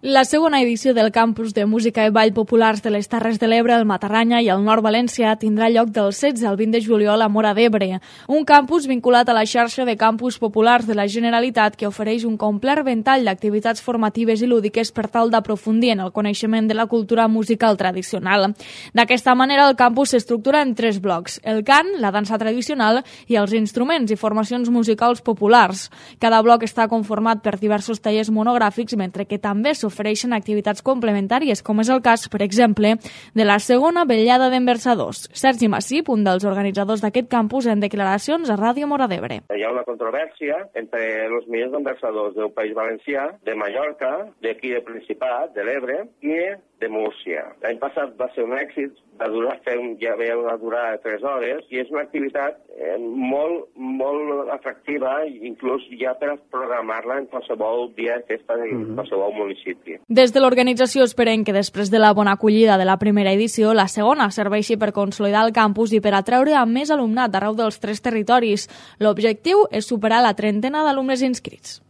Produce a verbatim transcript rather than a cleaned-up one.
La segona edició del Campus de Música i Ball Populars de les Terres de l'Ebre, el Matarranya i el Nord València tindrà lloc del setze al vint de juliol a Móra d'Ebre, un campus vinculat a la xarxa de campus populars de la Generalitat que ofereix un complet ventall d'activitats formatives i lúdiques per tal d'aprofundir en el coneixement de la cultura musical tradicional. D'aquesta manera, el campus s'estructura en tres blocs: el cant, la dansa tradicional i els instruments i formacions musicals populars. Cada bloc està conformat per diversos tallers monogràfics, mentre que també s'ofereix ofereixen activitats complementàries, com és el cas, per exemple, de la segona vetllada d'enversadors. Sergi Massip, un dels organitzadors d'aquest campus, en declaracions a Ràdio Móra d'Ebre. Hi ha una controvèrsia entre els millors enversadors del País Valencià, de Mallorca, d'aquí del Principat, de l'Ebre, i de Múrcia. L'any passat va ser un èxit, va durar, ja ve una durada de tres hores, i és una activitat eh, molt, molt atractiva, inclús ja per programar-la en qualsevol dia de festa de mm-hmm. qualsevol municipi. Des de l'organització esperen que després de la bona acollida de la primera edició, la segona serveixi per consolidar el campus i per atraure a més alumnat arreu dels tres territoris. L'objectiu és superar la trentena d'alumnes inscrits.